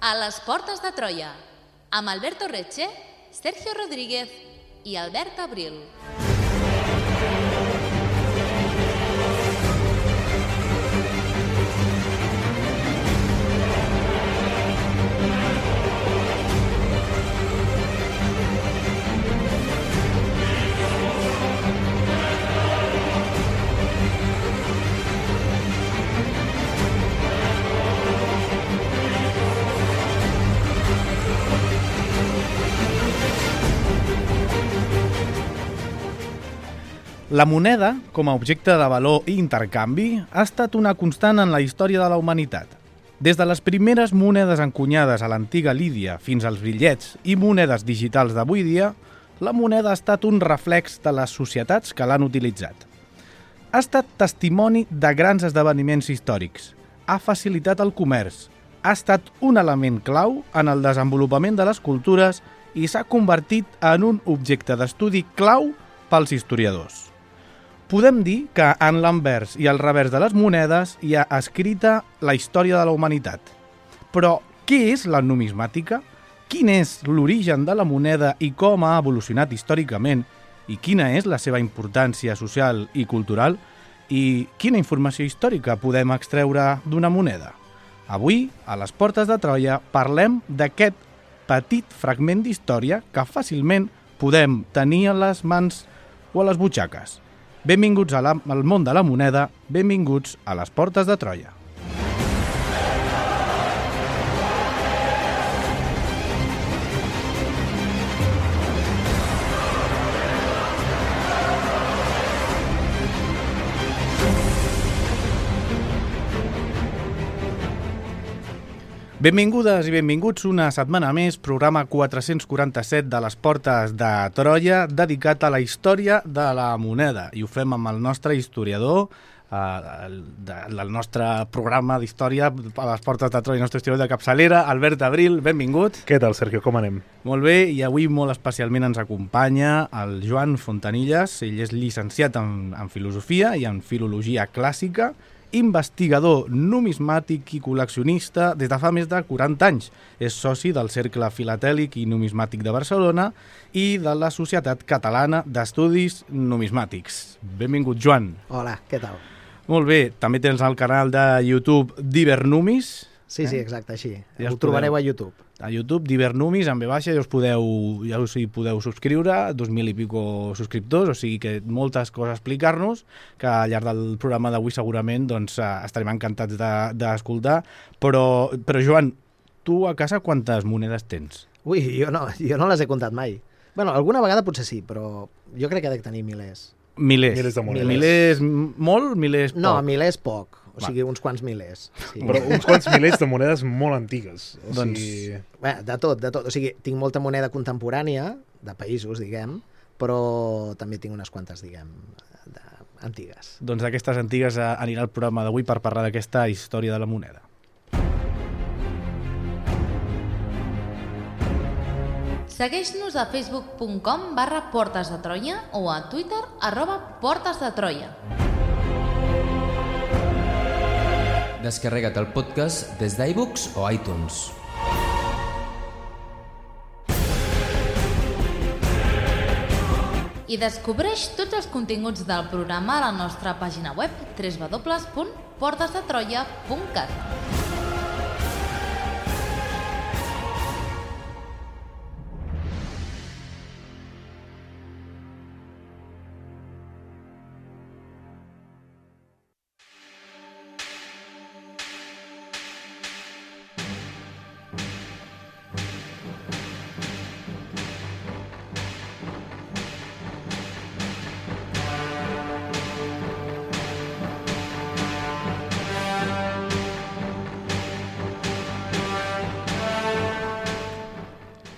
A les portes de Troia, amb Alberto Reche, Sergio Rodríguez i Albert Abril. La moneda, com a objecte de valor i intercanvi, ha estat una constant en la història de la humanitat. Des de les primeres monedes encunyades a l'antiga Lídia fins als bitllets i monedes digitals d'avui dia, la moneda ha estat un reflex de les societats que l'han utilitzat. Ha estat testimoni de grans esdeveniments històrics, ha facilitat el comerç, ha estat un element clau en el desenvolupament de les cultures i s'ha convertit en un objecte d'estudi clau pels historiadors. Podem dir que en l'anvers i el revers de les monedes hi ha escrita la història de la humanitat. Però què és la numismàtica? Quin és l'origen de la moneda i com ha evolucionat històricament? I quina és la seva importància social i cultural? I quina informació històrica podem extreure d'una moneda? Avui, a les portes de Troia, parlem d'aquest petit fragment d'història que fàcilment podem tenir a les mans o a les butxaques. Benvinguts al món de la moneda, benvinguts a les portes de Troia. Benvingudes i benvinguts una setmana més, programa 447 de les portes de Troia, dedicat a la història de la moneda. I ho fem amb el nostre historiador, del nostre programa d'història a les portes de Troia, el nostre historiador de capçalera, Albert Abril, benvingut. Què tal, Sergio, com anem? Molt bé, i avui molt especialment ens acompanya el Joan Fontanilles. Ell és llicenciat en filosofia i en filologia clàssica, investigador numismàtic i col·leccionista des de fa més de 40 anys. És soci del Cercle Filatèlic i Numismàtic de Barcelona i de la Societat Catalana d'Estudis Numismàtics. Benvingut, Joan. Hola, què tal? Molt bé, també tens el canal de YouTube Divernumis. Sí, exacte, així. Ja ho trobareu a YouTube. A YouTube, Divernumis, en ve baixa, ja us podeu subscriure, 2.000 i pico subscriptors, o sigui que moltes coses a explicar-nos, que al llarg del programa d'avui segurament doncs, estarem encantats d'escoltar. Però, Joan, tu a casa quantes monedes tens? Ui, jo no les he comptat mai. Bueno, alguna vegada potser sí, però jo crec que ha de tenir milers. Milers de monedes. Milers molt, milers poc? No, milers poc. O sigui, uns quants milers. Sí. Però uns quants milers de monedes molt antigues. Doncs... Bé, de tot. O sigui, tinc molta moneda contemporània, de països, diguem, però també tinc unes quantes, diguem, antigues. Doncs d'aquestes antigues anirà el programa d'avui per parlar d'aquesta història de la moneda. Segueix-nos a facebook.com/Portes de Troia o a Twitter @PortesDeTroia. Descarrega't el podcast des d'iBooks o iTunes. I descobreix tots els continguts del programa a la nostra pàgina web www.portesdetroia.cat.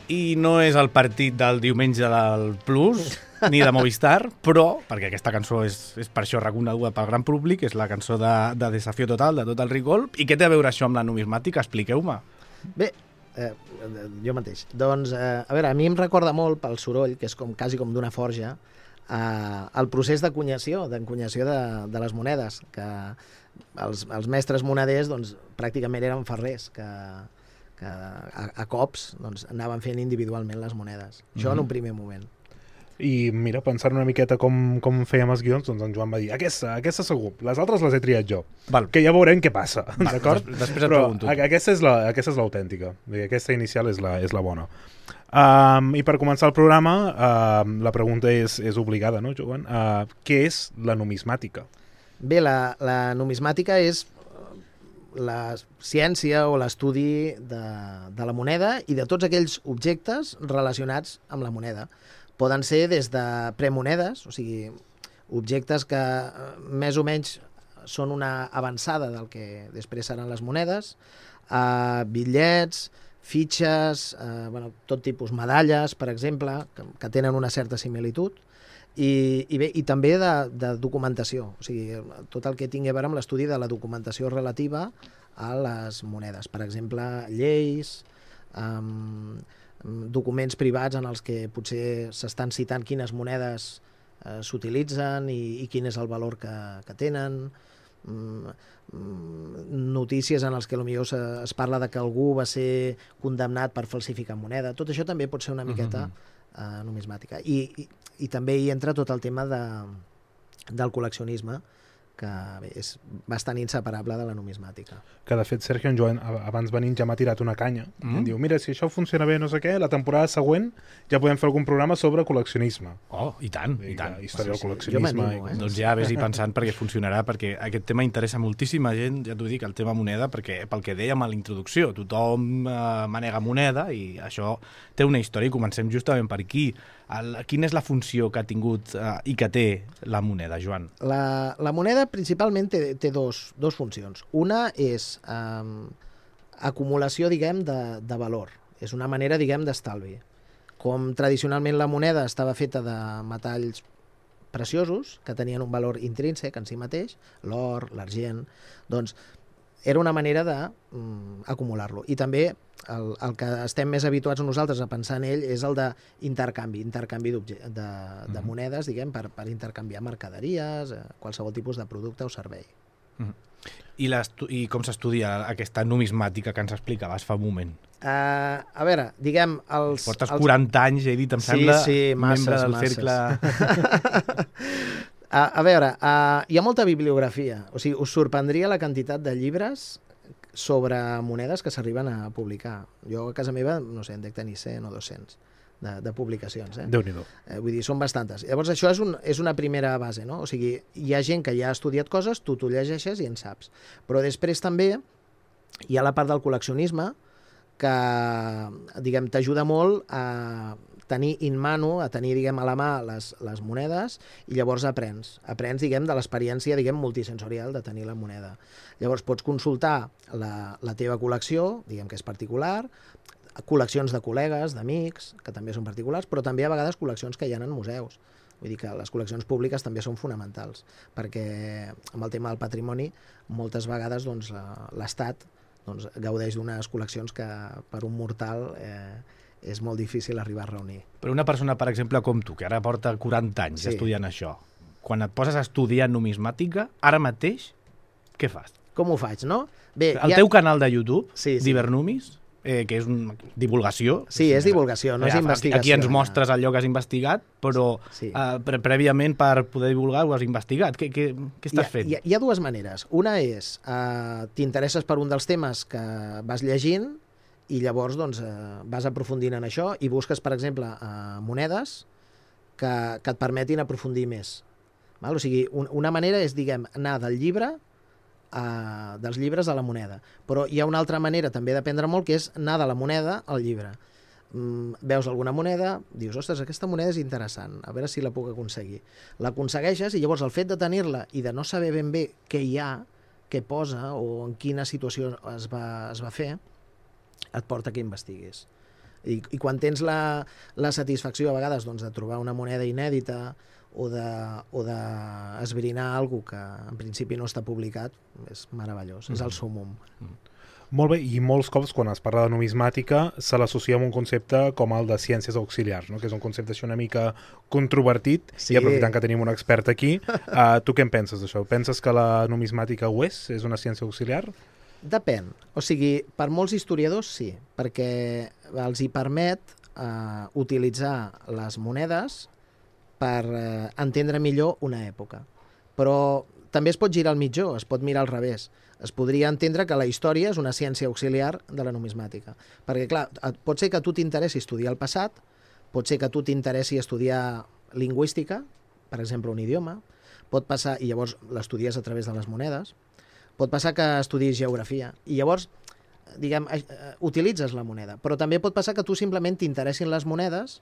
I no és el partit del diumenge del Plus, ni de Movistar, però, perquè aquesta cançó és per això reconeguda pel gran públic, és la cançó de Desafió Total, de Total Recall. I què té a veure això amb la numismàtica? Expliqueu-me. Bé, jo mateix. Doncs, a veure, a mi em recorda molt pel soroll, que és quasi com d'una forja, el procés d'encunyació de les monedes, que els mestres moneders doncs, pràcticament eren ferrers, que que a cops doncs, anaven fent individualment les monedes. Això en un primer moment. I mira, pensant una miqueta com fèiem els guions, doncs en Joan va dir aquesta segur, les altres les he triat jo. Val. Que ja veurem què passa, d'acord? Després et Però pregunto. aquesta és l'autèntica. Aquesta inicial és la bona. I per començar el programa, la pregunta és obligada, no, Joan? Què és la numismàtica? Bé, la numismàtica és la ciència o l'estudi de la moneda i de tots aquells objectes relacionats amb la moneda. Poden ser des de premonedes, o sigui, objectes que més o menys són una avançada del que després seran les monedes, bitllets, fitxes, tot tipus, medalles, per exemple, que tenen una certa similitud, i també de documentació, o sigui, tot el que tingui a veure amb l'estudi de la documentació relativa a les monedes. Per exemple, lleis, documents privats en els que potser s'estan citant quines monedes s'utilitzen i quin és el valor que tenen, notícies en les que potser es parla de que algú va ser condemnat per falsificar moneda. Tot això també pot ser una miqueta numismàtica. I també hi entra tot el tema del col·leccionisme, que bé, és bastant inseparable de la numismàtica. Que de fet, Sergio, en Joan, abans venint ja m'ha tirat una canya. I em diu, mira, si això funciona bé no sé què, la temporada següent ja podem fer algun programa sobre col·leccionisme. Oh, i tant, i tant. Història del Jo col·leccionisme. m'animo, Doncs ja vés-hi pensant perquè funcionarà, perquè aquest tema interessa moltíssima gent, ja t'ho dic, el tema moneda, perquè pel que dèiem a la introducció, tothom manega moneda i això té una història i comencem justament per aquí. Quina és la funció que ha tingut i que té la moneda, Joan? La moneda principalment té dos funcions. Una és acumulació, diguem, de valor. És una manera, diguem, d'estalvi. Com tradicionalment la moneda estava feta de metalls preciosos, que tenien un valor intrínsec en si mateix, l'or, l'argent, doncs era una manera d'acumular-lo. I també el que estem més habituats nosaltres a pensar en ell és el d'intercanvi de monedes, diguem, per intercanviar mercaderies, qualsevol tipus de producte o servei. I com s'estudia aquesta numismàtica que ens explicaves fa un moment? A veure, diguem... Portes 40 anys, he dit, em sembla, membre del cercle... A veure, hi ha molta bibliografia. O sigui, us sorprendria la quantitat de llibres sobre monedes que s'arriben a publicar. Jo a casa meva, no sé, en dec tenir 100 o 200 de publicacions. Déu-n'hi-do. Vull dir, són bastantes. Llavors, això és una primera base, no? O sigui, hi ha gent que ja ha estudiat coses, tu t'ho llegeixes i en saps. Però després també hi ha la part del col·leccionisme que, diguem, t'ajuda molt a tenir in mano, a tenir, diguem, a la mà les monedes i llavors aprens, diguem, de l'experiència, diguem, multisensorial de tenir la moneda. Llavors pots consultar la teva col·lecció, diguem que és particular, col·leccions de col·legues, d'amics, que també són particulars, però també a vegades col·leccions que hi ha en museus. Vull dir que les col·leccions públiques també són fonamentals, perquè amb el tema del patrimoni moltes vegades doncs, l'Estat doncs, gaudeix d'unes col·leccions que per un mortal és molt difícil arribar a reunir. Però una persona, per exemple, com tu, que ara porta 40 anys estudiant això, quan et poses a estudiar numismàtica, ara mateix, què fas? Com ho faig, no? Bé, el teu canal de YouTube, sí. Divernumis, que és una divulgació. Sí, és divulgació, no és investigació. Aquí ens mostres allò que has investigat, però prèviament per poder divulgar ho has investigat. Què estàs fent? Hi ha dues maneres. Una és, t'interesses per un dels temes que vas llegint i llavors doncs, vas aprofundint en això i busques, per exemple, monedes que et permetin aprofundir més. Val? O sigui, una manera és, diguem, anar del llibre dels llibres a la moneda. Però hi ha una altra manera també d'aprendre molt, que és anar de la moneda al llibre. Veus alguna moneda, dius, ostres, aquesta moneda és interessant, a veure si la puc aconseguir. L'aconsegueixes i llavors el fet de tenir-la i de no saber ben bé què hi ha, què posa o en quina situació es va fer, et porta que investiguis. I quan tens la satisfacció a vegades doncs, de trobar una moneda inèdita o d'esbrinar alguna cosa que en principi no està publicat, és meravellós, és el súmmum. Molt bé, i molts cops quan es parla de numismàtica se l'associa amb un concepte com el de ciències auxiliars, no? Que és un concepte així una mica controvertit, i aprofitant que tenim un expert aquí, tu què en penses d'això? Penses que la numismàtica ho és? És una ciència auxiliar? Depèn. O sigui, per molts historiadors sí, perquè els hi permet utilitzar les monedes per entendre millor una època. Però també es pot girar al mitjó, es pot mirar al revés. Es podria entendre que la història és una ciència auxiliar de la numismàtica. Perquè, clar, pot ser que a tu t'interessi estudiar el passat, pot ser que a tu t'interessi estudiar lingüística, per exemple, un idioma, pot passar, i llavors l'estudies a través de les monedes, pot passar que estudis geografia, i llavors, diguem, utilitzes la moneda. Però també pot passar que tu simplement t'interessin les monedes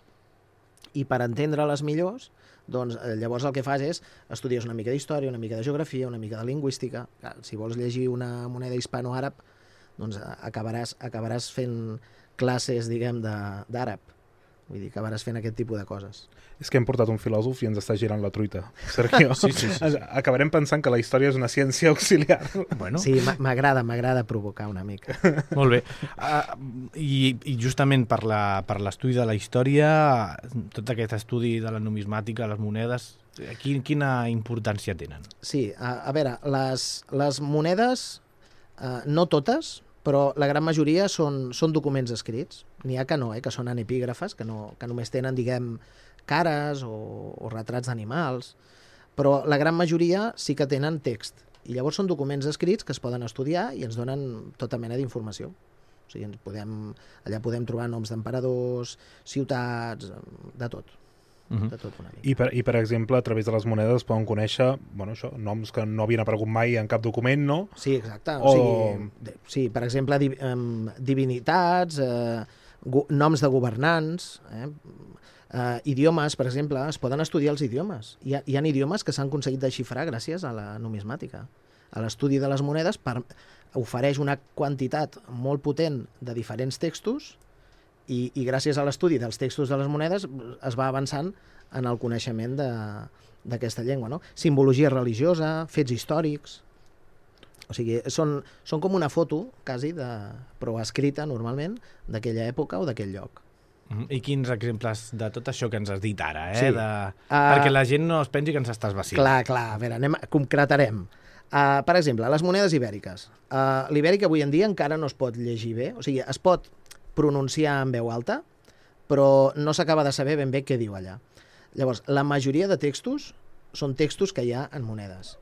i per entendre-les millors, doncs llavors el que fas és estudies una mica d'història, una mica de geografia, una mica de lingüística. Clar, si vols llegir una moneda hispano-àrab, doncs acabaràs fent classes, diguem, d'àrab. Vull dir, acabaràs fent aquest tipus de coses. És que hem portat un filòsof i ens està girant la truita. Sergio, sí. Acabarem pensant que la història és una ciència auxiliar. Bueno. Sí, m'agrada provocar una mica. Molt bé. I justament per l'estudi de la història, tot aquest estudi de la numismàtica, les monedes, quina importància tenen? Sí, a veure, les monedes, no totes, però la gran majoria són documents escrits. N'hi ha que no, que són anepígrafes, que només tenen, diguem, cares o retrats d'animals, però la gran majoria sí que tenen text. I llavors són documents escrits que es poden estudiar i ens donen tota mena d'informació. O sigui, allà podem trobar noms d'emperadors, ciutats, de tot. De tot una mica. I per exemple, a través de les monedes es poden conèixer noms que no havien aparegut mai en cap document, no? Sí, exacte. O sigui, sí, per exemple, divinitats, noms de governants, idiomes, per exemple, es poden estudiar els idiomes. Hi ha idiomes que s'han aconseguit desxifrar gràcies a la numismàtica. A l'estudi de les monedes ofereix una quantitat molt potent de diferents textos i gràcies a l'estudi dels textos de les monedes es va avançant en el coneixement d'aquesta llengua. No? Simbologia religiosa, fets històrics. O sigui, són com una foto, quasi, però escrita normalment, d'aquella època o d'aquell lloc. I quins exemples de tot això que ens has dit ara? Sí. Perquè la gent no es pensi que ens estàs vacilant. Clar, a veure, concretarem. Per exemple, les monedes ibèriques. L'ibèric avui en dia encara no es pot llegir bé, o sigui, es pot pronunciar en veu alta, però no s'acaba de saber ben bé què diu allà. Llavors, la majoria de textos són textos que hi ha en monedes.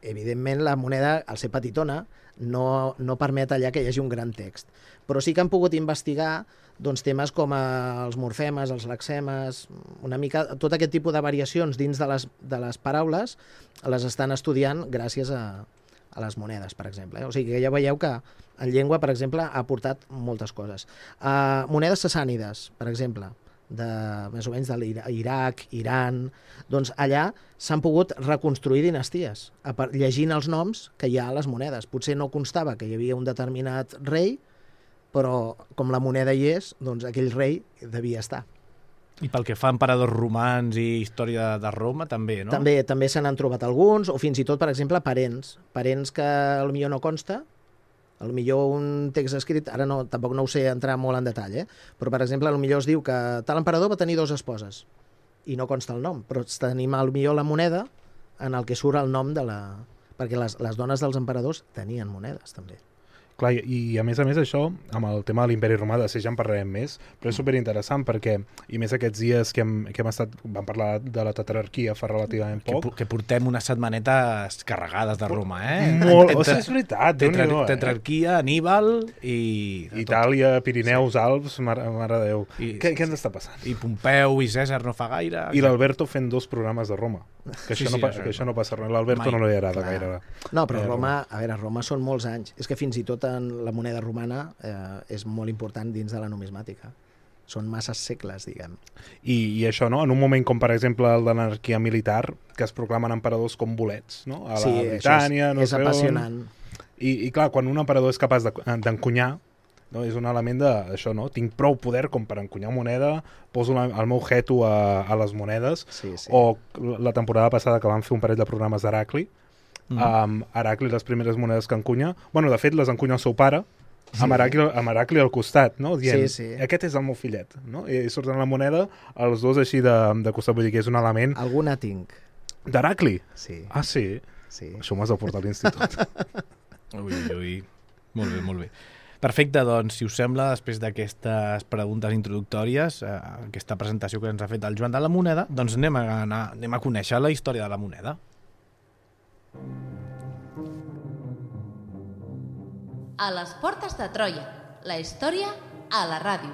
Evidentment, la moneda, al ser petitona, no permet allà que hi hagi un gran text. Però sí que han pogut investigar temes com els morfemes, els lexemes, una mica tot aquest tipus de variacions dins de les paraules les estan estudiant gràcies a les monedes, per exemple. O sigui que ja veieu que en llengua, per exemple, ha aportat moltes coses. Monedes sassànides, per exemple, més o menys de l'Iraq, Iran, doncs allà s'han pogut reconstruir dinasties, llegint els noms que hi ha a les monedes. Potser no constava que hi havia un determinat rei, però com la moneda hi és, doncs aquell rei devia estar. I pel que fa a emperadors romans i història de Roma, també, no? També se n'han trobat alguns, o fins i tot, per exemple, parents que potser no consta, potser un text escrit, ara tampoc no ho sé entrar molt en detall, però per exemple, potser es diu que tal emperador va tenir 2 esposes, i no consta el nom, però tenim potser la moneda en el que surt el nom de la... perquè les dones dels emperadors tenien monedes, també. Clar, i a més això, amb el tema de l'imperi romà, de ser ja en parlarem més, però és superinteressant perquè, i més aquests dies que vam parlar de la tetrarquia fa relativament poc. Que portem unes setmanetes carregades de Roma, Molt, o sigui, és veritat. Tetrarquia, Aníbal i... Itàlia, Pirineus, Alps, mare de Déu. Què ens està passant? I Pompeu i Cèsar no fa gaire. I l'Alberto fent 2 programes de Roma. Que això no passa res. L'Alberto no li agrada gaire. No, però Roma són molts anys. És que fins i tot en la moneda romana és molt important dins de la numismàtica. Són masses segles, diguem. I això, no? En un moment com, per exemple, el de l'anarquia militar, que es proclamen emperadors com bolets, no? A la Britània, no sé on. És apassionant. I clar, quan un emperador és capaç d'encunyar, no? És un element d'això, no? Tinc prou poder com per encunyar moneda, poso el meu jeto a les monedes, o la temporada passada que vam fer un parell de programes d'Heracli, Heracli, les primeres monedes que encunya, de fet les encunya el seu pare, amb Heracli al costat, no? Dient, aquest és el meu fillet, no? I surten la moneda, els dos així de costat, vull dir que és un element... Alguna tinc. D'Heracli? Sí. Ah, sí? Sí. Això m'has de portar a l'institut. Ui. Molt bé, molt bé. Perfecte, doncs, si us sembla, després d'aquestes preguntes introductòries, aquesta presentació que ens ha fet el Joan de la Moneda, doncs anem a conèixer la història de la moneda. A les portes de Troia, la història a la ràdio.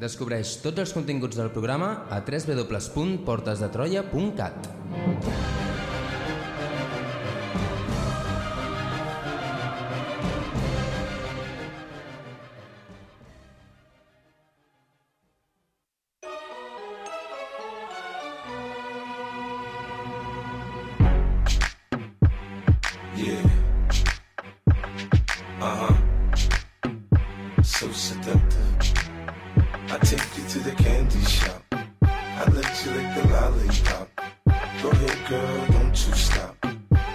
Descobreix tots els continguts del programa a www.portesdetroia.cat. So seductive. I take you to the candy shop. I let you lick the lollipop. Go ahead, girl, don't you stop.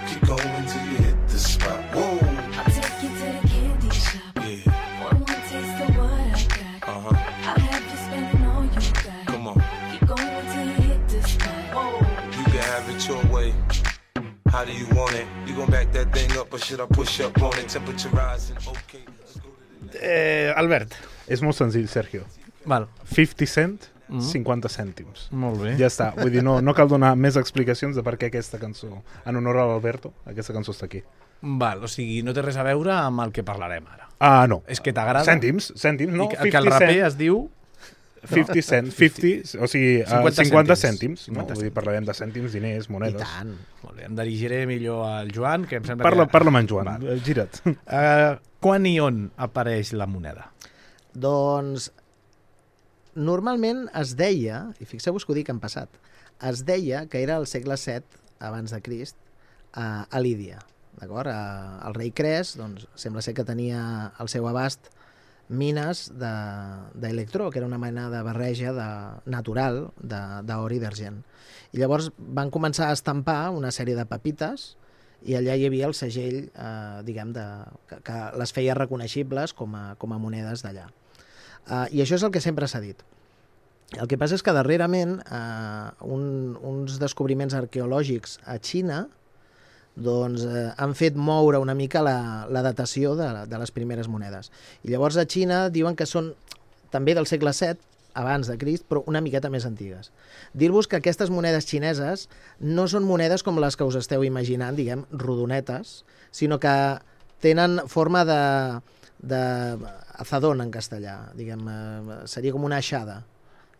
Keep going till you hit the spot. Whoa. I'll take you to the candy shop. Yeah. One taste of what I got. I'll have you spending all you got. Come on. Keep going till you hit the spot. Whoa. You can have it your way. How do you want it? You gon' back that thing up or should I push up on it? Temperature rising, okay. Albert. És molt senzill, Sergio. Val. 50 cent, 50 cèntims. Molt bé. Ja està. Vull dir, no cal donar més explicacions de per què aquesta cançó, en honor a l'Alberto, aquesta cançó està aquí. Val, o sigui, no té res a veure amb el que parlarem ara. No. És que t'agrada? Cèntims, no? I que el raper es diu... 50 cent, 50, o sigui, 50 cèntims. No? Vull dir, parlarem de cèntims, diners, monedes. I tant. Molt bé, em dirigiré millor al Joan, que em sembla que... Parla'm en Joan, gira't. Quan i on apareix la moneda? Doncs, normalment es deia, i fixeu-vos que ho dic en passat, es deia que era el segle VII abans de Crist a Lídia. D'acord? El rei Cres, doncs, sembla ser que tenia al seu abast mines d'electró, que era una mena de barreja natural d'or i d'argent. I llavors van començar a estampar una sèrie de pepites i allà hi havia el segell, diguem, que les feia reconeixibles com a monedes d'allà. I això és el que sempre s'ha dit. El que passa és que darrerament uns descobriments arqueològics a Xina doncs, han fet moure una mica la datació de les primeres monedes. I llavors a Xina diuen que són també del segle VII, abans de Crist, però una miqueta més antigues. Dir-vos que aquestes monedes xineses no són monedes com les que us esteu imaginant, diguem, rodonetes, sinó que tenen forma d'azadón en castellà, diguem, seria com una aixada.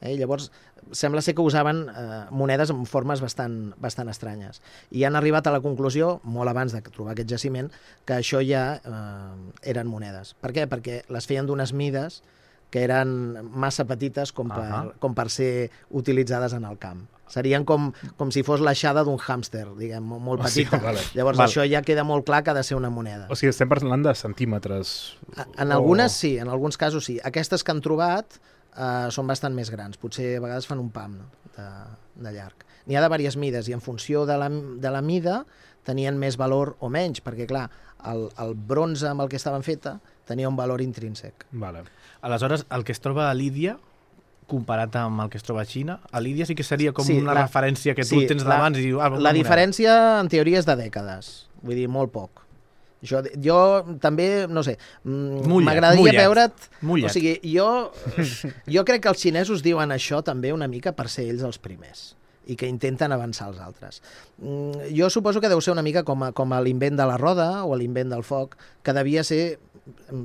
Llavors, sembla ser que usaven monedes amb formes bastant estranyes. I han arribat a la conclusió, molt abans de trobar aquest jaciment, que això ja eren monedes. Per què? Perquè les feien d'unes mides que eren massa petites com per ser utilitzades en el camp. Serien com si fos l'aixada d'un hàmster, diguem, molt petita. Llavors això ja queda molt clar que ha de ser una moneda. O sigui, estem parlant de centímetres. En algunes sí, en alguns casos sí. Aquestes que han trobat són bastant més grans, potser a vegades fan un pam de llarg. N'hi ha de diverses mides i en funció de la mida tenien més valor o menys, perquè clar, el bronze amb el que estaven feta tenia un valor intrínsec. Vale. Aleshores, el que es troba a Lídia, comparat amb el que es troba a Xina, a Lídia sí que seria com una referència que tu tens d'abans i dius... La diferència, en teoria, és de dècades, vull dir, molt poc. Jo també, no sé, m'agradaria veure't... O sigui, jo crec que els xinesos diuen això també una mica per ser ells els primers i que intenten avançar els altres. Jo suposo que deu ser una mica com l'invent de la roda o l'invent del foc, que devia ser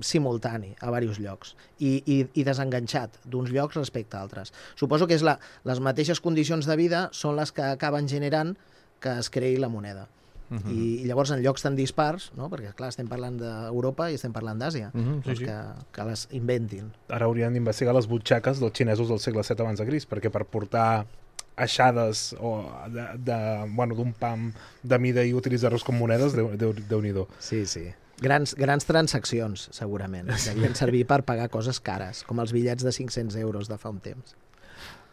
simultani a diversos llocs i desenganxat d'uns llocs respecte a altres. Suposo que les mateixes condicions de vida són les que acaben generant que es creï la moneda. I llavors en llocs tan dispars, no? Perquè clar, estem parlant d'Europa i estem parlant d'Àsia, que les inventin. Ara haurien d'investigar les butxaques dels xinesos del segle VII abans de Crist, perquè per portar aixades d'un pam de mida i utilitzar-los com monedes, Déu-n'hi-do. Sí. Grans transaccions, segurament. Devien servir per pagar coses cares, com els bitllets de 500 euros de fa un temps.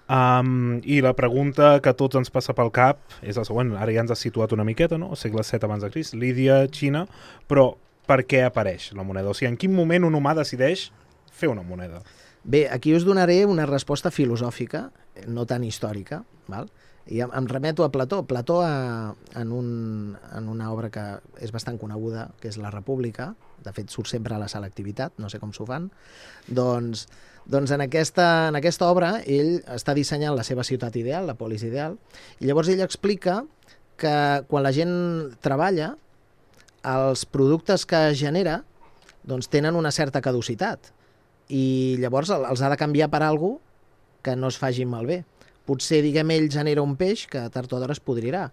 I la pregunta que a tots ens passa pel cap és la següent. Ara ja ens has situat una miqueta, no? Segle VII abans de Crist, Lídia, Xina, però per què apareix la moneda? O sigui, en quin moment un humà decideix fer una moneda? Bé, aquí us donaré una resposta filosòfica, no tan històrica, val? I em remeto a Plató. Plató, en una obra que és bastant coneguda, que és La República, de fet surt sempre a la selectivitat, no sé com s'ho fan, doncs en aquesta obra ell està dissenyant la seva ciutat ideal, la polis ideal, i llavors ell explica que quan la gent treballa, els productes que genera doncs tenen una certa caducitat i llavors els ha de canviar per alguna que no es faci malbé. Potser, diguem, ell genera un peix que tard o d'hora es podrirà,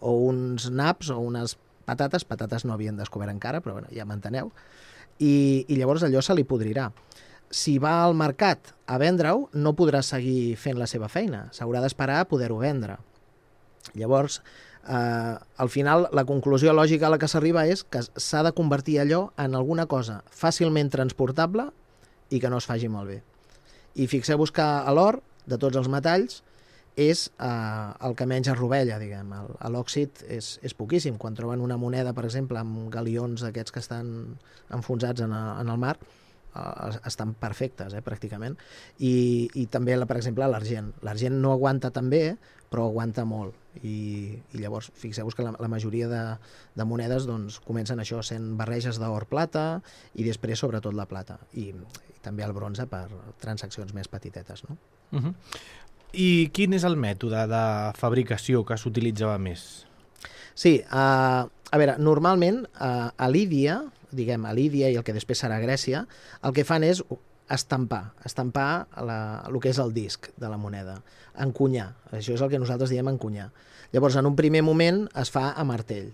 o uns naps o unes patates no havien descobert encara, però bueno, ja m'enteneu, i llavors allò se li podrirà. Si va al mercat a vendre-ho, no podrà seguir fent la seva feina, s'haurà d'esperar a poder-ho vendre. Llavors, al final, la conclusió lògica a la que s'arriba és que s'ha de convertir allò en alguna cosa fàcilment transportable i que no es faci malbé. I fixeu-vos que l'or, de tots els metalls, és el que menys es rovella, diguem. L'òxid és poquíssim. Quan troben una moneda, per exemple, amb galions aquests que estan enfonsats en el mar, estan perfectes, pràcticament. I també, per exemple, l'argent. L'argent no aguanta tan bé, però aguanta molt. I llavors, fixeu-vos que la majoria de monedes doncs, comencen això, sent barreges d'or-plata i després, sobretot, la plata. I també el bronze per transaccions més petitetes, no? I quin és el mètode de fabricació que s'utilitzava més? Sí, a veure, normalment a Lídia, diguem, a Lídia i el que després serà Grècia, el que fan és estampar el que és el disc de la moneda, encunyar. Això és el que nosaltres diem encunyar. Llavors, en un primer moment es fa a martell.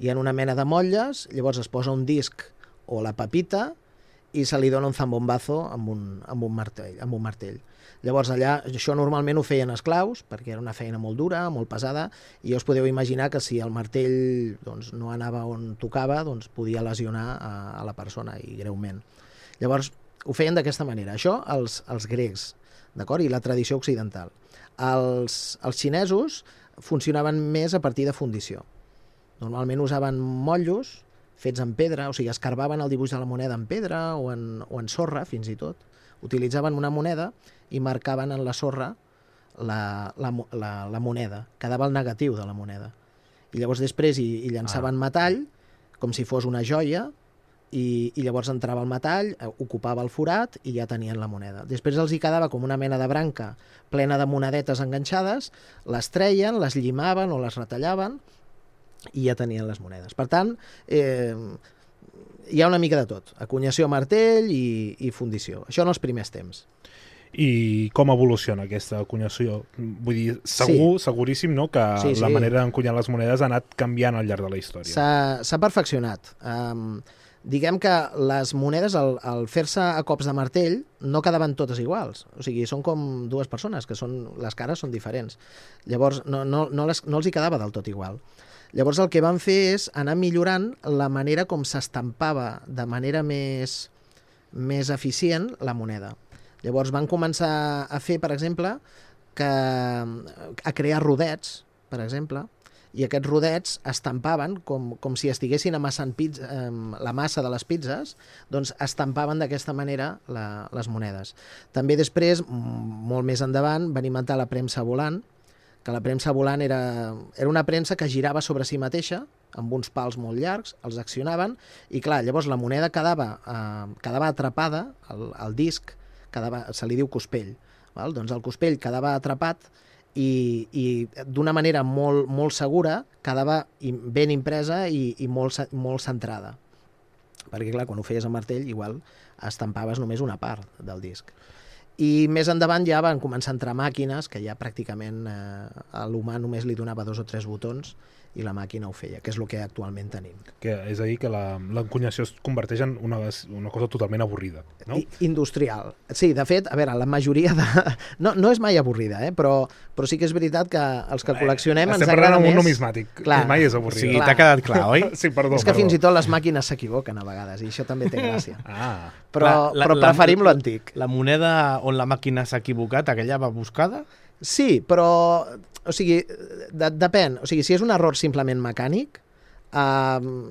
Hi ha una mena de motlles, llavors es posa un disc o la pepita i se li dona un zambombazo amb un martell. Llavors allà, això normalment ho feien esclaus, perquè era una feina molt dura, molt pesada, i us podeu imaginar que si el martell doncs, no anava on tocava, doncs podia lesionar a la persona, i greument. Llavors, ho feien d'aquesta manera. Això els grecs, d'acord? I la tradició occidental. Els xinesos funcionaven més a partir de fundició. Normalment usaven motllos fets en pedra, o sigui, escarbaven el dibuix de la moneda en pedra o en sorra, fins i tot. Utilitzaven una moneda i marcaven en la sorra la moneda. Quedava el negatiu de la moneda. I llavors després hi llançaven metall, com si fos una joia, i llavors entrava el metall, ocupava el forat i ja tenien la moneda. Després els hi quedava com una mena de branca plena de monedetes enganxades, les treien, les llimaven o les retallaven i ja tenien les monedes. Per tant, hi ha una mica de tot. Acunyació a martell i fundició. Això en els primers temps. I com evoluciona aquesta acunyació? Vull dir, seguríssim, no?, que la manera d'encunyar les monedes ha anat canviant al llarg de la història. S'ha perfeccionat. Diguem que les monedes, al fer-se a cops de martell, no quedaven totes iguals. O sigui, són com dues persones, que les cares són diferents. Llavors, no els hi quedava del tot igual. Llavors el que van fer és anar millorant la manera com s'estampava de manera més eficient la moneda. Llavors van començar a fer, per exemple, a crear rodets, per exemple, i aquests rodets estampaven com si estiguessin amassant la massa de les pizzas, doncs estampaven d'aquesta manera les monedes. També després, molt més endavant, van inventar la premsa volant, que la premsa volant era una premsa que girava sobre si mateixa, amb uns pals molt llargs, els accionaven, i clar, llavors la moneda quedava atrapada, el disc, se li diu cospell, val? Doncs el cospell quedava atrapat i d'una manera molt segura quedava ben impresa i molt centrada. Perquè clar, quan ho feies amb martell, igual estampaves només una part del disc. I més endavant ja van començar a entrar màquines que ja pràcticament a l'humà només li donava 2 o 3 botons i la màquina ho feia, que és el que actualment tenim. És a dir, que l'encunyació es converteix en una cosa totalment avorrida, no? Industrial. Sí, de fet, a veure, la majoria de... No és mai avorrida, però sí que és veritat que els que col·leccionem ens agrada més... Estem parlant amb un numismàtic, mai és avorrida. O sigui, t'ha quedat clar, oi? Sí, perdó. És que fins i tot les màquines s'equivoquen a vegades, i això també té gràcia. Però preferim l'antic. La moneda on la màquina s'ha equivocat, aquella va buscada? Sí, però... O sigui, depèn. O sigui, si és un error simplement mecànic,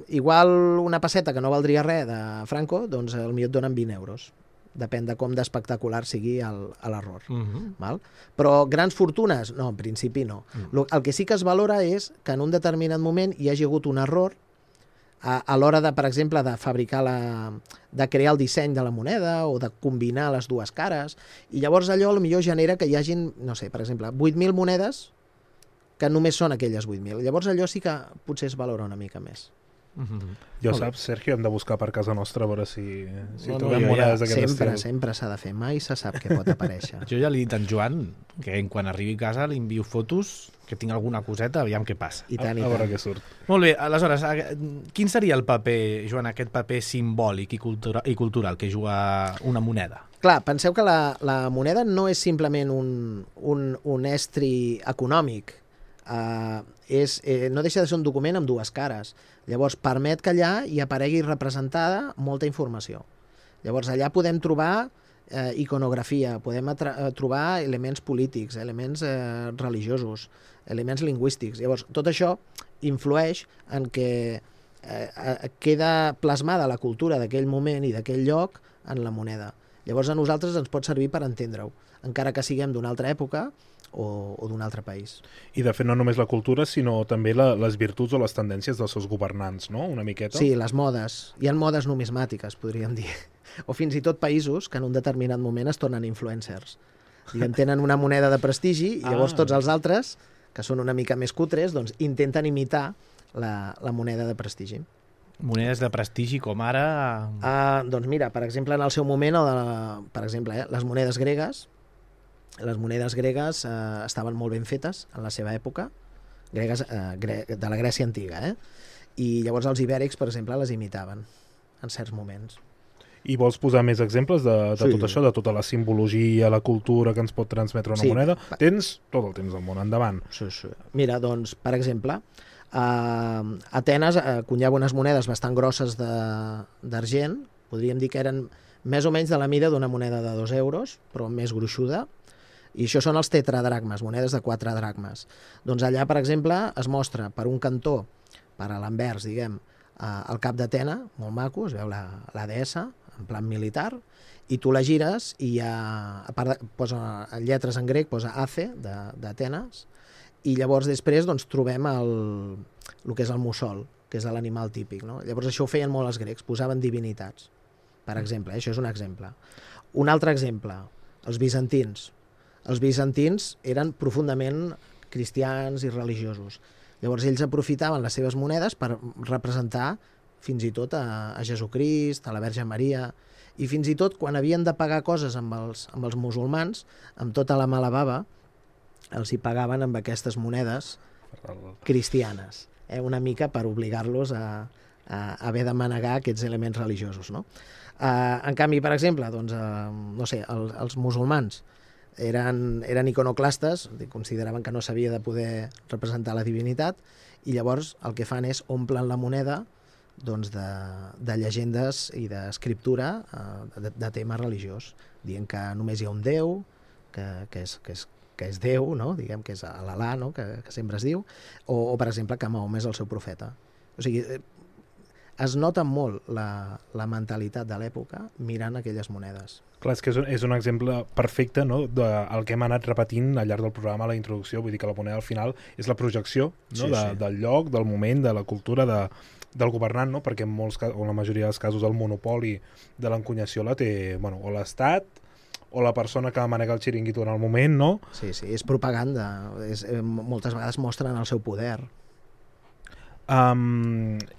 igual una pesseta que no valdria res de Franco, doncs potser et donen 20 euros. Depèn de com d'espectacular sigui l'error. Val? Però grans fortunes? No, en principi no. El que sí que es valora és que en un determinat moment hi hagi hagut un error a l'hora de, per exemple, de fabricar de crear el disseny de la moneda o de combinar les dues cares, i llavors allò potser genera que hi hagin, no sé, per exemple, 8.000 monedes que només són aquelles 8.000. Llavors allò sí que potser es valora una mica més. Ja ho saps, Sergio, hem de buscar per casa nostra a veure si No, trobem monedes d'aquest estil. Sempre s'ha de fer, mai se sap què pot aparèixer. Jo ja li he dit a en Joan que quan arribi a casa li envio fotos, que tinc alguna coseta, aviam què passa. I tant, A veure què surt. Molt bé, aleshores, quin seria el paper, Joan, aquest paper simbòlic i cultural que juga una moneda? Clar, penseu que la moneda no és simplement un estri econòmic, no deixa de ser un document amb dues cares. Llavors, permet que allà hi aparegui representada molta informació. Llavors, allà podem trobar iconografia, podem trobar elements polítics, elements religiosos, elements lingüístics. Llavors, tot això influeix en que queda plasmada la cultura d'aquell moment i d'aquell lloc en la moneda. Llavors, a nosaltres ens pot servir per entendre-ho, encara que siguem d'una altra època o d'un altre país. I de fet no només la cultura, sinó també les virtuts o les tendències dels seus governants, no? Una miqueta. Sí, les modes. Hi ha modes numismàtiques, podríem dir. O fins i tot països que en un determinat moment es tornen influencers. Tenen una moneda de prestigi i llavors tots els altres, que són una mica més cutres, doncs intenten imitar la moneda de prestigi. Monedes de prestigi com ara... Doncs mira, per exemple, en el seu moment, les monedes gregues, estaven molt ben fetes en la seva època, gregues de la Grècia antiga, i llavors els ibèrics, per exemple, les imitaven en certs moments. I vols posar més exemples de tot això, de tota la simbologia, la cultura que ens pot transmetre una moneda? Tens tot el temps del món, endavant. Sí. Mira, doncs, per exemple, Atenes cunyava unes monedes bastant grosses d'argent, podríem dir que eren més o menys de la mida d'una moneda de 2 euros, però més gruixuda, i això són els tetradracmes, monedes de 4 dracmes. Doncs allà, per exemple, es mostra per un cantó, per a l'anvers, diguem, el cap d'Atena, molt maco, es veu la deessa, en plan militar, i tu la gires i posa lletres en grec, posa Ace, d'Atenes, i llavors després doncs, trobem el que és el mussol, que és l'animal típic. No? Llavors això ho feien molt els grecs, posaven divinitats, per exemple, això és un exemple. Un altre exemple, els bizantins. Els bizantins eren profundament cristians i religiosos. Llavors ells aprofitaven les seves monedes per representar fins i tot a Jesucrist, a la Verge Maria, i fins i tot quan havien de pagar coses amb els musulmans, amb tota la mala bava, els hi pagaven amb aquestes monedes cristianes, una mica per obligar-los a haver de manegar aquests elements religiosos. No? En canvi, per exemple, doncs, no sé, els musulmans eren iconoclastes, consideraven que no s'havia de poder representar la divinitat, i llavors el que fan és omplen la moneda doncs, de llegendes i d'escriptura de tema religiós, dient que només hi ha un Déu, que és Déu, no? Diguem que és l'Alà, no? que sempre es diu, o per exemple que Mahoma és el seu profeta. O sigui, es nota molt la mentalitat de l'època mirant aquelles monedes. Clar, és que és un exemple perfecte, no?, del que hem anat repetint al llarg del programa, la introducció, vull dir que la moneda al final és la projecció, no? Del lloc, del moment, de la cultura, del governant, no? Perquè en la majoria dels casos el monopoli de l'encunyació la té, bueno, o l'Estat o la persona que manega el xiringuito en el moment, no? Sí, és propaganda. Moltes vegades mostren el seu poder. I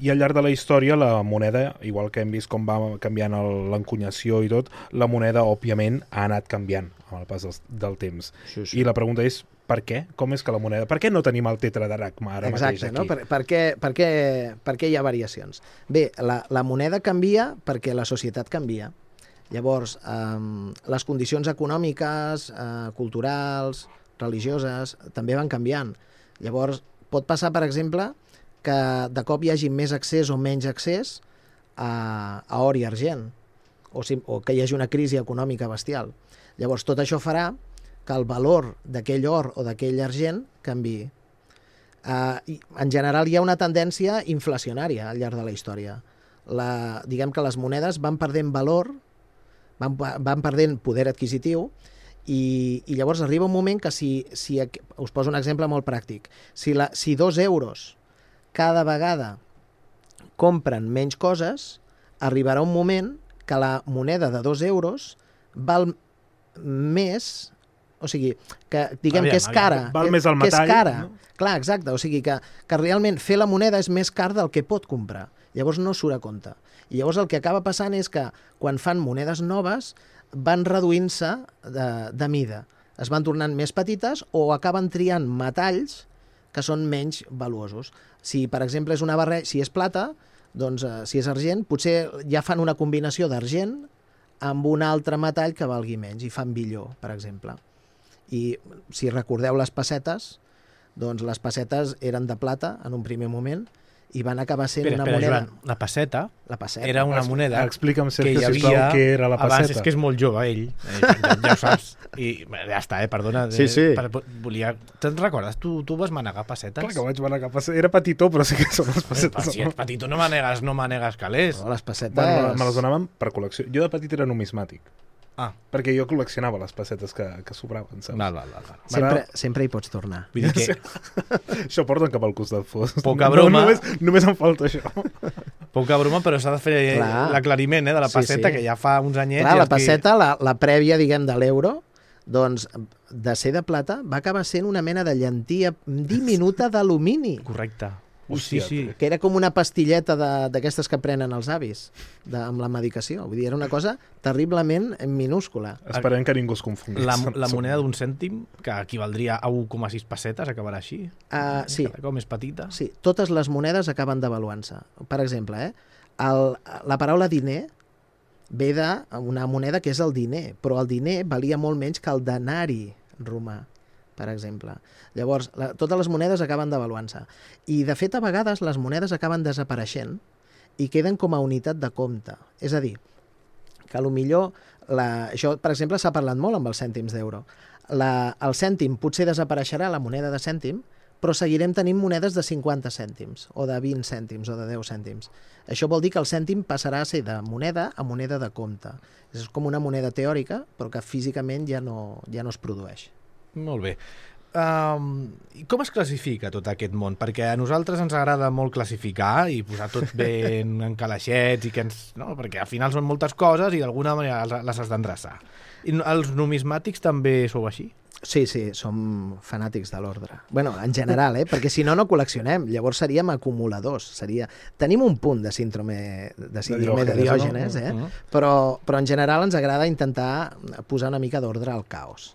al llarg de la història la moneda, igual que hem vist com va canviant l'encunyació i tot, la moneda òbviament ha anat canviant amb el pas del temps. Sí. I la pregunta és, per què? Com és que la moneda... Per què no tenim el tetradracma ara mateix aquí? No? Per què hi ha variacions? Bé, la moneda canvia perquè la societat canvia. Llavors, les condicions econòmiques, culturals, religioses, també van canviant. Llavors, pot passar, per exemple, que de cop hi hagi més accés o menys accés a or i argent, o que hi hagi una crisi econòmica bestial. Llavors, tot això farà que el valor d'aquell or o d'aquell argent canviï. En general, hi ha una tendència inflacionària al llarg de la història. Diguem que les monedes van perdent valor van perdent poder adquisitiu i llavors arriba un moment que us poso un exemple molt pràctic, si 2 euros cada vegada compren menys coses, arribarà un moment que la moneda de 2 euros val més, o sigui, que diguem que és cara. Val més el metall. Que és cara. No? Clar, exacte, o sigui que realment fer la moneda és més car del que pot comprar. Llavors no surt a compte. I llavors el que acaba passant és que quan fan monedes noves van reduint-se de mida. Es van tornant més petites o acaben triant metalls que són menys valuosos. Si, per exemple, és una barreja, si és plata, doncs si és argent, potser ja fan una combinació d'argent amb un altre metall que valgui menys i fan billó, per exemple. I si recordeu les pessetes, doncs les pessetes eren de plata en un primer moment i van acabar sent una moneda... Joan, la pesseta era una moneda Explica'm, que Sergio, hi havia sisplau, què era la abans, pesseta. és que és molt jove ell, ja ho saps, i ja està, perdona. Sí. Te'n recordes? Tu vas manegar pessetes? Clar que vaig manegar pessetes. Era petitó, però sí que són les pessetes. Si ets petit, tu no manegues calés. No, les pessetes... Bueno, me les donaven per col·lecció. Jo de petit era numismàtic. Ah. Perquè jo col·leccionava les pessetes que sobraven, saps? Val. Sempre hi pots tornar. Vull dir que Això porten cap al costat fos. Poca broma. Només em falta això. poca broma, però s'ha de fer l'aclariment de la pesseta, que ja fa uns anyets... Clar, la pesseta, la prèvia, diguem, de l'euro, doncs, de ser de plata, va acabar sent una mena de llantilla diminuta d'alumini. Correcte. Hòstia, Sí. Que era com una pastilleta d'aquestes que prenen els avis amb la medicació. Vull dir, era una cosa terriblement minúscula. Esperem que ningú es confongui. La moneda d'un cèntim, que equivaldria a 1,6 pessetes, acabarà així. Sí. Cada cop més petita. Sí, totes les monedes acaben devaluant-se. Per exemple, la paraula diner ve d'una moneda que és el diner, però el diner valia molt menys que el denari romà, per exemple. Llavors, totes les monedes acaben devaluant-se. I, de fet, a vegades les monedes acaben desapareixent i queden com a unitat de compte. És a dir, que potser, això, per exemple, s'ha parlat molt amb els cèntims d'euro. El cèntim potser desapareixerà, la moneda de cèntim, però seguirem tenint monedes de 50 cèntims, o de 20 cèntims, o de 10 cèntims. Això vol dir que el cèntim passarà a ser de moneda a moneda de compte. És com una moneda teòrica, però que físicament ja no es produeix. Molt bé. I com es classifica tot aquest món? Perquè a nosaltres ens agrada molt classificar i posar tot ben en calaixets, perquè al final són moltes coses i d'alguna manera les has d'endreçar. I els numismàtics també sou així? Sí, som fanàtics de l'ordre. Bueno, en general, perquè si no col·leccionem. Llavors seríem acumuladors. Tenim un punt de síndrome de Diògenes, però en general ens agrada intentar posar una mica d'ordre al caos.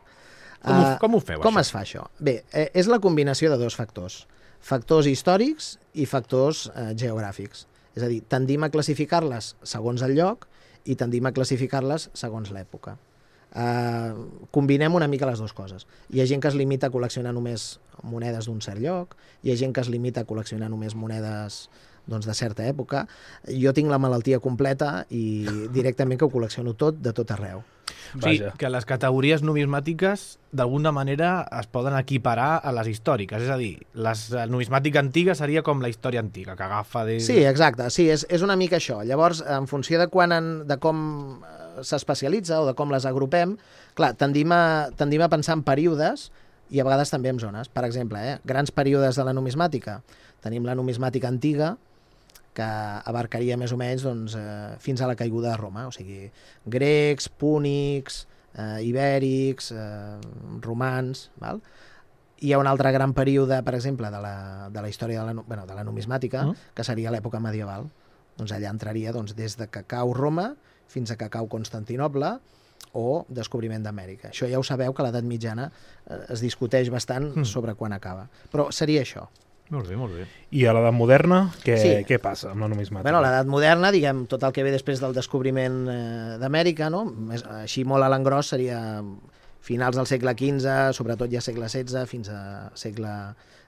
Com ho feu, com això? es fa això? Bé, és la combinació de dos factors. Factors històrics i factors geogràfics. És a dir, tendim a classificar-les segons el lloc i tendim a classificar-les segons l'època. Combinem una mica les dues coses. Hi ha gent que es limita a col·leccionar només monedes d'un cert lloc, hi ha gent que es limita a col·leccionar només monedes de certa època. Jo tinc la malaltia completa i directament que ho col·lecciono tot, de tot arreu. O sigui, que les categories numismàtiques d'alguna manera es poden equiparar a les històriques, és a dir, la numismàtica antiga seria com la història antiga, que agafa... Sí, exacte, sí, és una mica això. Llavors, en funció de com s'especialitza o de com les agrupem, clar, tendim a pensar en períodes i a vegades també en zones. Per exemple, grans períodes de la numismàtica. Tenim la numismàtica antiga, que abarcaria més o menys fins a la caiguda de Roma, o sigui, grecs, púnics, ibèrics, romans, val? Hi ha un altre gran període, per exemple, de la història de la numismàtica, que seria l'època medieval. Doncs allà entraria des de que cau Roma fins a que cau Constantinoble o descobriment d'Amèrica. Això ja ho sabeu, que a l'edat mitjana es discuteix bastant sobre quan acaba. Però seria això. Molt bé, molt bé. I a l'edat moderna, què passa amb la numismàtica? Bueno, a l'edat moderna, diguem, tot el que ve després del descobriment d'Amèrica, no? Així molt a l'engròs seria finals del segle XV, sobretot ja segle XVI, fins a segle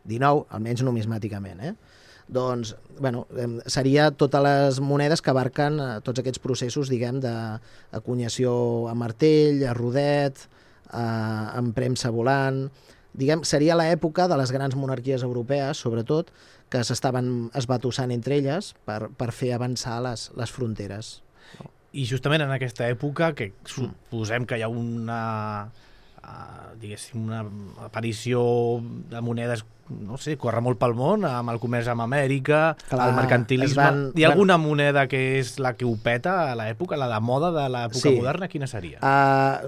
XIX, almenys numismàticament, Doncs, bueno, seria totes les monedes que abarquen tots aquests processos, diguem, d'acunyació a martell, a rodet, amb premsa volant... Diguem, seria l'època de les grans monarquies europees, sobretot, que s'estaven esbatussant entre elles per fer avançar les fronteres. I justament en aquesta època, que suposem que hi ha una diguéssim, una aparició de monedes, no sé, corre molt pel món, amb el comerç amb Amèrica, el mercantilisme. Hi ha alguna moneda que és la que ho peta a l'època, la de moda de l'època moderna? Quina seria?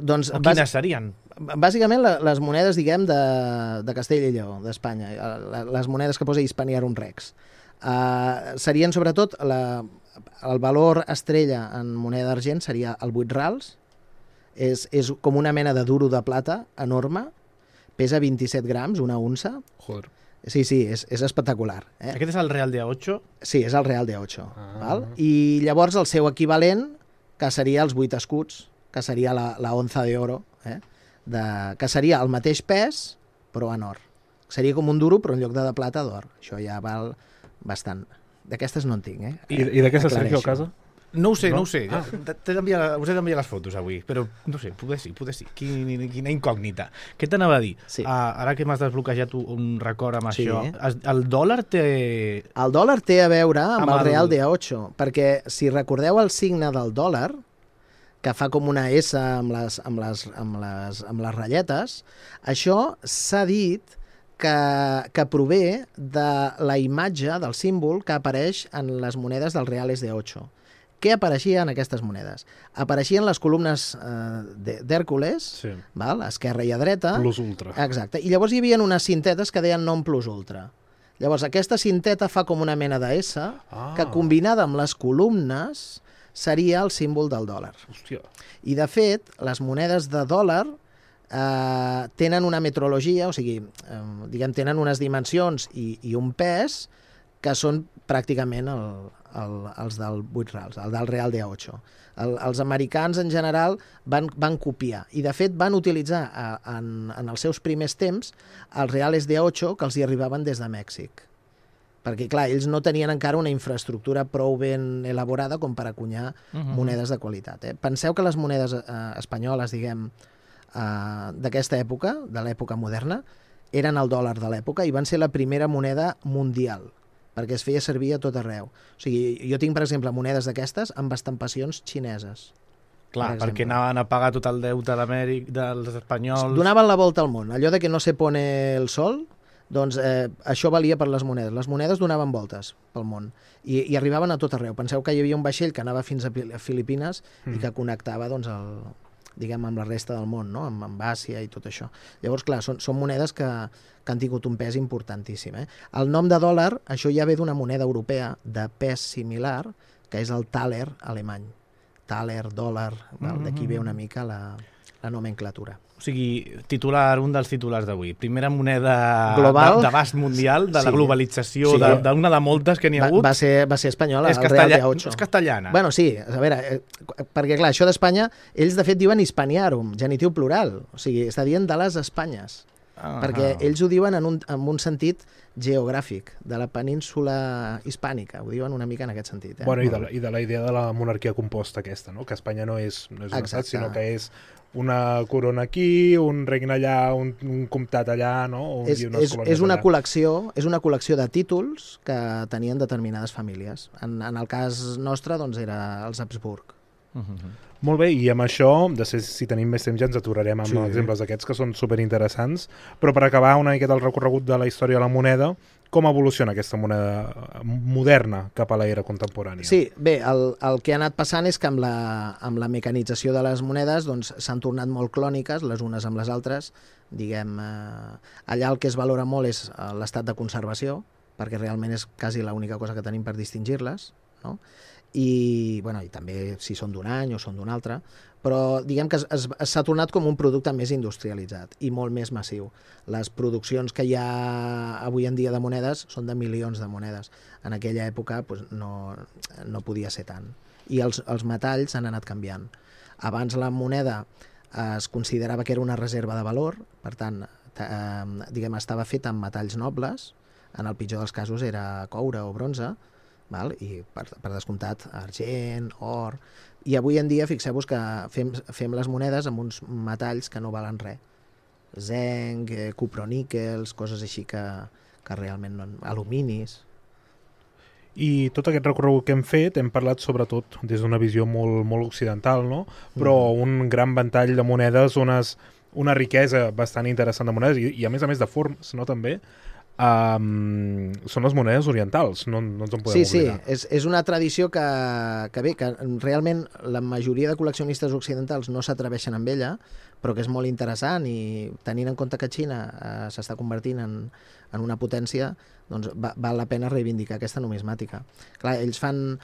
Doncs, o quines serien? Bàsicament les monedes, diguem, de Castella i Lleó, d'Espanya, les monedes que posa Hispaniarum Rex. Serien, sobretot, el valor estrella en moneda d'argent seria el 8 rals. És com una mena de duro de plata enorme, pesa 27 grams, una unça. Joder. Sí, és espectacular. Aquest és el Real de A8? Sí, és el Real de A8. Val? I llavors el seu equivalent, que seria els 8 escuts, que seria la onza d'oro, que seria el mateix pes, però en or. Seria com un duro, però en lloc de plata, d'or. Això ja val bastant. D'aquestes no en tinc. I d'aquestes, Sergio, a casa? No ho sé. Us he d'enviar les fotos avui, però no sé, poder sí. Quina incògnita. Què t'anava a dir? Sí. Ara que m'has desbloquejat un record amb això, el dòlar té... El dòlar té a veure amb el Real de A8, perquè si recordeu el signe del dòlar, que fa com una S amb les ratlletes, això s'ha dit que prové de la imatge del símbol que apareix en les monedes dels Reales de A8. Què apareixia en aquestes monedes? Apareixien les columnes d'Hèrcules, esquerra i a dreta. Plus ultra. Exacte. I llavors hi havia unes cintetes que deien non plus ultra. Llavors aquesta cinteta fa com una mena de S, que combinada amb les columnes seria el símbol del dòlar. Hòstia. I de fet, les monedes de dòlar tenen una metrologia, o sigui, tenen unes dimensions i un pes que són pràcticament els del 8 rals, el del Real de A8. Els americans, en general, van copiar. I, de fet, van utilitzar en els seus primers temps els Reales de A8 que els hi arribaven des de Mèxic. Perquè, clar, ells no tenien encara una infraestructura prou ben elaborada com per acunyar monedes de qualitat. Penseu que les monedes espanyoles, diguem, d'aquesta època, de l'època moderna, eren el dòlar de l'època i van ser la primera moneda mundial, perquè es feia servir a tot arreu. O sigui, jo tinc, per exemple, monedes d'aquestes amb estampacions xineses. Clar, perquè anaven a pagar tot el deute dels espanyols... Donaven la volta al món. Allò de que no se pone el sol, doncs això valia per les monedes. Les monedes donaven voltes pel món i arribaven a tot arreu. Penseu que hi havia un vaixell que anava fins a Filipines i que connectava, doncs, amb la resta del món, no? amb Àsia i tot això. Llavors, clar, són monedes que han tingut un pes importantíssim. El nom de dòlar, això ja ve d'una moneda europea de pes similar, que és el thaler alemany. Thaler, dòlar, d'aquí ve una mica la nomenclatura. O sigui, un dels titulars d'avui. Primera moneda d'abast mundial, de la globalització, d'una de moltes que n'hi ha hagut. Va ser espanyola, el Real de A8. És castellana. Bueno, sí, a veure, perquè clar, això d'Espanya, ells de fet diuen Hispaniarum, genitiu plural, o sigui, està dient de les Espanyes, perquè ells ho diuen en un sentit geogràfic, de la península hispànica, ho diuen una mica en aquest sentit. Bueno, i de la idea de la monarquia composta aquesta, no? Que Espanya no és un estat, sinó que és una corona aquí, un regne allà, un comtat allà, no? És una col·lecció de títols que tenien determinades famílies. En el cas nostre, doncs, era els Habsburg. Molt bé, i amb això, si tenim més temps ja ens aturarem amb exemples d'aquests que són superinteressants, però per acabar una miqueta el recorregut de la història de la moneda, com evoluciona aquesta moneda moderna cap a l'era contemporània? Sí, bé, el que ha anat passant és que amb la mecanització de les monedes s'han tornat molt clòniques les unes amb les altres. Diguem, allà el que es valora molt és l'estat de conservació, perquè realment és quasi l'única cosa que tenim per distingir-les, no? I també si són d'un any o són d'un altre, però diguem que s'ha tornat com un producte més industrialitzat i molt més massiu. Les produccions que hi ha avui en dia de monedes són de milions de monedes. En aquella època no podia ser tant. I els metalls han anat canviant. Abans la moneda es considerava que era una reserva de valor, per tant, estava feta amb metalls nobles, en el pitjor dels casos era coure o bronze, i per descomptat argent, or, i avui en dia fixeu-vos que fem les monedes amb uns metalls que no valen res, zinc, cuproníquels, coses així que realment no, aluminis. I tot aquest recorregut que hem fet hem parlat sobretot des d'una visió molt occidental, no? Però un gran ventall de monedes, una riquesa bastant interessant de monedes i a més de formes, no? També són les monedes orientals, no ens en podem oblidar. Sí, és una tradició que realment la majoria de col·leccionistes occidentals no s'atreveixen amb ella, però que és molt interessant i tenint en compte que Xina s'està convertint en una potència, doncs val la pena reivindicar aquesta numismàtica. Clar, ells fan...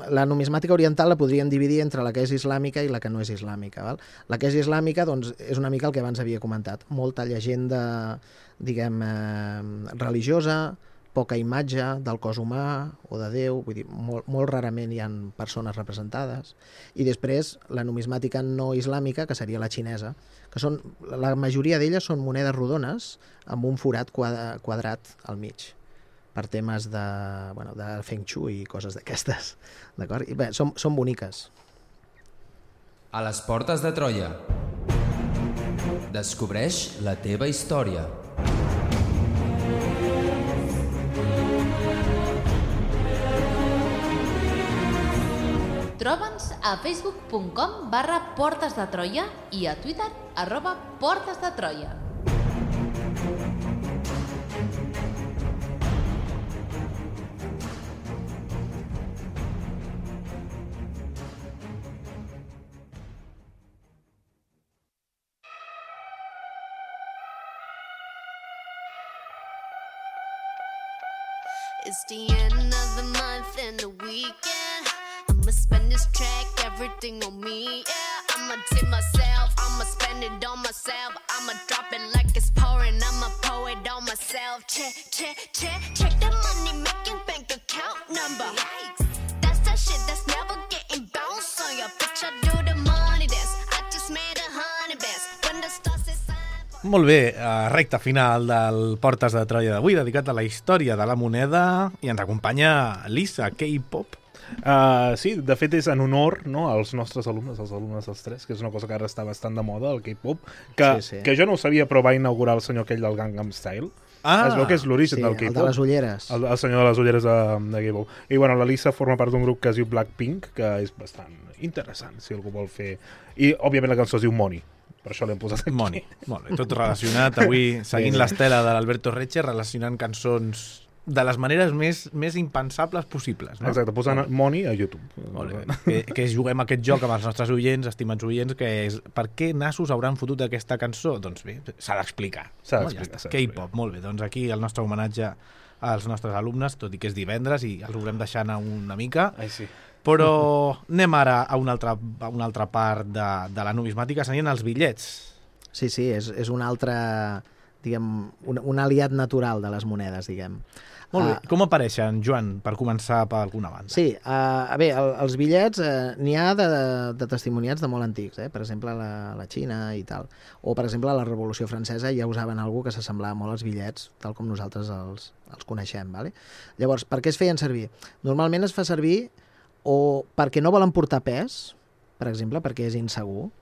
La numismàtica oriental la podríem dividir entre la que és islàmica i la que no és islàmica. Val? La que és islàmica doncs, és una mica el que abans havia comentat. Molta llegenda, diguem, religiosa, poca imatge del cos humà o de Déu, vull dir, molt rarament hi ha persones representades. I després la numismàtica no islàmica, que seria la xinesa, que són, la majoria d'elles són monedes rodones amb un forat quadrat al mig, per temes de feng shui i coses d'aquestes. D'acord? I bé, són boniques. A les portes de Troia. Descobreix la teva història. Troba'ns a facebook.com/Portes de Troia i a Twitter @Portes de Troia. It's the end of the month and the weekend. I'ma spend this track, everything on me, yeah. I'ma tip myself, I'ma spend it on myself. I'ma drop it like it's pouring, I'ma pour it on myself. Check the money making bank account number. That's that shit that's never getting bounced on your bitch. I do the money dance, I just made 100 bands. When the stars is Molt bé, recta final del Portes de Troia d'avui, dedicat a la història de la moneda, i ens acompanya Lisa, K-pop. Sí, de fet és en honor, no, als nostres alumnes, als alumnes dels tres, que és una cosa que ara està bastant de moda, el K-pop, que jo no ho sabia, però va inaugurar el senyor aquell del Gangnam Style. Es veu que és l'origen del K-pop. El de les ulleres. El senyor de les ulleres de K-pop. I bueno, la Lisa forma part d'un grup que es diu Blackpink, que és bastant interessant, si algú vol fer... I, òbviament, la cançó es diu Money. Per això l'hem posat aquí. Money. Molt bé, tot relacionat. Avui, seguint l'estela de l'Alberto Reche, relacionant cançons de les maneres més impensables possibles. No? Exacte, posant Money a YouTube. Molt bé. Que juguem aquest joc amb els nostres oients, estimats oients, que és per què nassos hauran fotut aquesta cançó? Doncs bé, s'ha d'explicar. K-pop, molt bé. Doncs aquí el nostre homenatge als nostres alumnes, tot i que és divendres i els haurem deixant una mica. Ai, sí. Però anem ara a una altra part de la numismàtica, serien els bitllets. Sí, és un altre, diguem, un aliat natural de les monedes, diguem. Molt bé. Com apareixen, Joan, per començar per alguna banda? Sí, bé, els bitllets n'hi ha de testimoniats de molt antics, per exemple, la Xina i tal. O, per exemple, a la Revolució Francesa ja usaven alguna que s'assemblava molt als bitllets, tal com nosaltres els coneixem. Vale? Llavors, per què es feien servir? Normalment es fa servir o perquè no volen portar pes, per exemple, perquè és insegur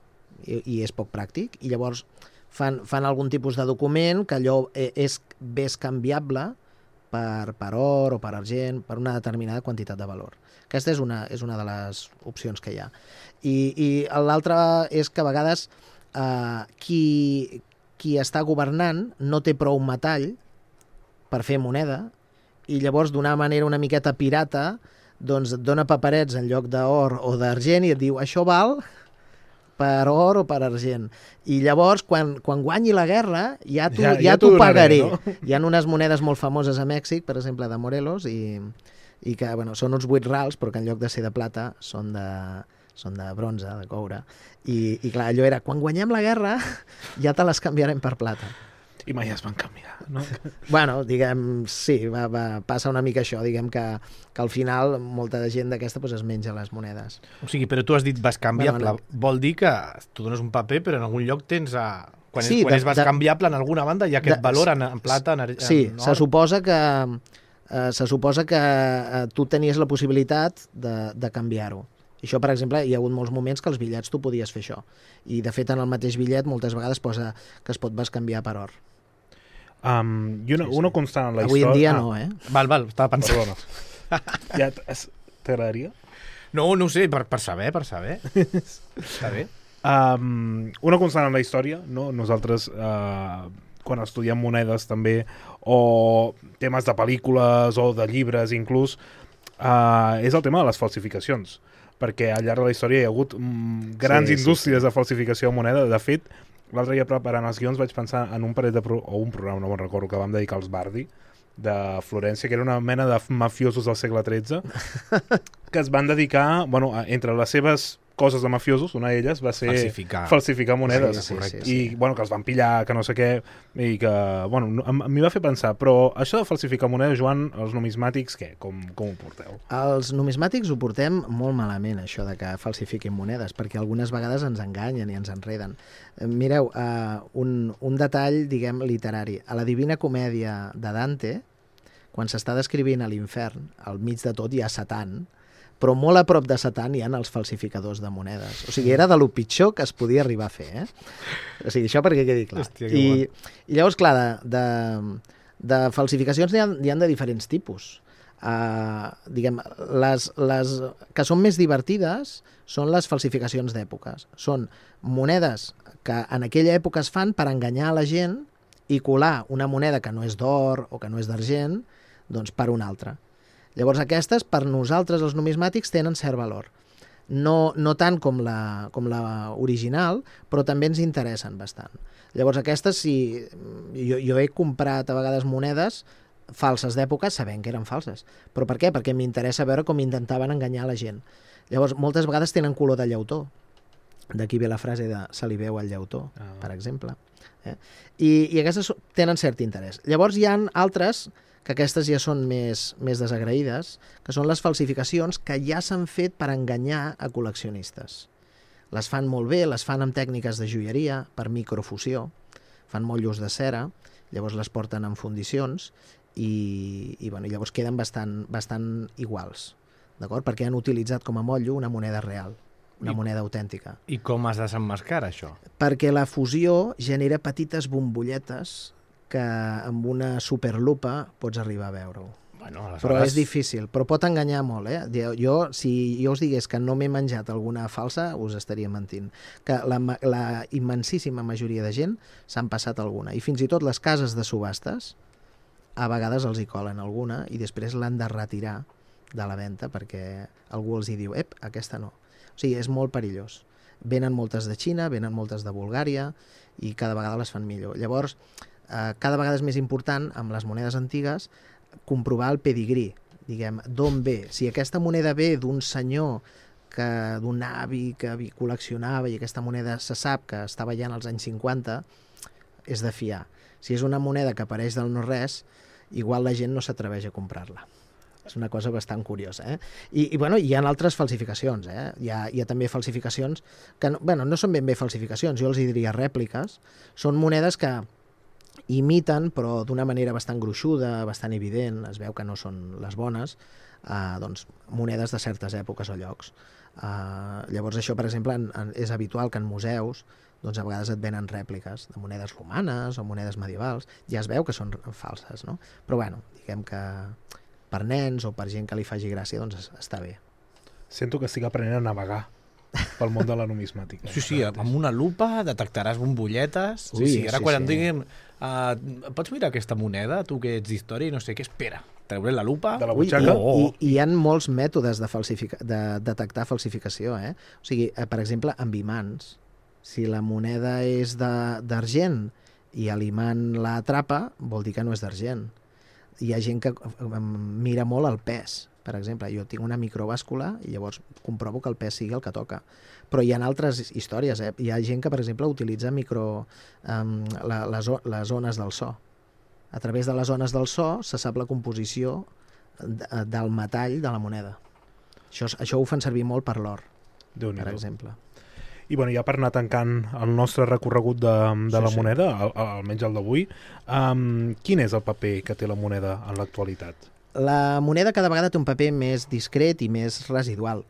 i és poc pràctic, i llavors fan algun tipus de document que allò és canviable per or o per argent, per una determinada quantitat de valor. Aquesta és una de les opcions que hi ha. I l'altra és que a vegades qui està governant no té prou metall per fer moneda i llavors d'una manera una miqueta pirata doncs et dona paperets en lloc d'or o d'argent i et diu això val per or o per argent. I llavors, quan guanyi la guerra, ja t'ho pagaré. No? Hi ha unes monedes molt famoses a Mèxic, per exemple, de Morelos, i que són uns 8 rals, però que en lloc de ser de plata són de bronze, de coure. I clar, allò era, quan guanyem la guerra, ja te les canviarem per plata. I mai es van canviar, no? Bueno, diguem, sí, passa una mica això, diguem que al final molta gent d'aquesta es menja les monedes. O sigui, però tu has dit bascanviable, vol dir que tu dones un paper però en algun lloc tens... Quan és bascanviable en alguna banda hi ha aquest valor en plata, en or... Sí, se suposa que tu tenies la possibilitat de canviar-ho. I això, per exemple, hi ha hagut molts moments que els bitllets tu podies fer això. I, de fet, en el mateix bitllet moltes vegades posa que es pot bascanviar per or. I una constant en la història... Avui en dia no, Val, estava pensant. Ja t'agradaria? No ho sé, per saber. Està bé. Una constant en la història, no? Nosaltres, quan estudiem monedes també, o temes de pel·lícules o de llibres inclús, és el tema de les falsificacions, perquè al llarg de la història hi ha hagut grans indústries de falsificació de moneda. De fet, l'altre dia preparant els guions vaig pensar en un parell o un programa, no me'n recordo, que vam dedicar als Bardi, de Florència, que era una mena de mafiosos del segle XIII, que es van dedicar, entre les seves coses de mafiosos, una d'elles va ser falsificar monedes. Sí. I, que els van pillar, que no sé què, i que, m'hi va fer pensar. Però això de falsificar monedes, Joan, els numismàtics, què? Com ho porteu? Els numismàtics ho portem molt malament, això de que falsifiquin monedes, perquè algunes vegades ens enganyen i ens enreden. Mireu, un detall, diguem, literari. A la Divina Comèdia de Dante, quan s'està descrivint a l'infern, al mig de tot hi ha Satan, però molt a prop de Satan hi ha els falsificadors de monedes. O sigui, era de lo pitjor que es podia arribar a fer, O sigui, això perquè quedi clar. Hòstia, I llavors, clar, de falsificacions n'hi ha de diferents tipus. Diguem, les que són més divertides són les falsificacions d'èpoques. Són monedes que en aquella època es fan per enganyar a la gent i colar una moneda que no és d'or o que no és d'argent, doncs per una altra. Llavors aquestes, per nosaltres, els numismàtics, tenen cert valor. No tant com la original, però també ens interessen bastant. Llavors aquestes, jo he comprat a vegades monedes falses d'època sabent que eren falses. Però per què? Perquè m'interessa veure com intentaven enganyar la gent. Llavors, moltes vegades tenen color de llautó. D'aquí ve la frase de se li veu el llautó, per exemple. I aquestes tenen cert interès. Llavors hi ha altres que aquestes ja són més desagraïdes, que són les falsificacions que ja s'han fet per enganyar a col·leccionistes. Les fan molt bé, les fan amb tècniques de joieria, per microfusió, fan motllos de cera, llavors les porten en fundicions i llavors queden bastant iguals, d'acord? Perquè han utilitzat com a motllo una moneda real, una moneda autèntica. I com es desemmascara això? Perquè la fusió genera petites bombolletes que amb una superlupa pots arribar a veure-ho. Aleshores... Però és difícil, però pot enganyar molt, Si jo us digués que no m'he menjat alguna falsa, us estaria mentint. Que la immensíssima majoria de gent s'han passat alguna. I fins i tot les cases de subhastes, a vegades els hi colen alguna i després l'han de retirar de la venda perquè algú els hi diu, aquesta no. O sigui, és molt perillós. Venen moltes de Xina, venen moltes de Bulgària i cada vegada les fan millor. Llavors, cada vegada és més important, amb les monedes antigues, comprovar el pedigrí, diguem, d'on ve. Si aquesta moneda ve d'un senyor, d'un avi que col·leccionava i aquesta moneda se sap que estava ja en els anys 50, és de fiar. Si és una moneda que apareix del no-res, igual la gent no s'atreveix a comprar-la. És una cosa bastant curiosa. I hi ha altres falsificacions. Hi ha també falsificacions que no són ben bé falsificacions, jo els diria rèpliques. Són monedes que imiten, però d'una manera bastant gruixuda, bastant evident, es veu que no són les bones, monedes de certes èpoques o llocs. Llavors això, per exemple, és habitual que en museus a vegades et venen rèpliques de monedes romanes o monedes medievals, ja es veu que són falses, no? Però diguem que per nens o per gent que li faci gràcia, doncs està bé. Sento que estic aprenent a navegar pel món de la numismàtica. Sí, amb una lupa detectaràs bombolletes. Ara quan em diguin pots mirar aquesta moneda, tu que ets d'història i no sé què, espera, treuré la lupa de la butxaca. I hi ha molts mètodes de detectar falsificació. O sigui, per exemple, amb imants. Si la moneda és d'argent i l'imant la atrapa, vol dir que no és d'argent. Hi ha gent que mira molt el pes. Per exemple, jo tinc una microbàscula i llavors comprovo que el pes sigui el que toca. Però hi ha altres històries. Hi ha gent que, per exemple, utilitza les ones del so. A través de les ones del so se sap la composició del metall de la moneda. Això ho fan servir molt per l'or, per exemple. I ja per anar tancant el nostre recorregut de la moneda, almenys el d'avui, quin és el paper que té la moneda en l'actualitat? La moneda cada vegada té un paper més discret i més residual.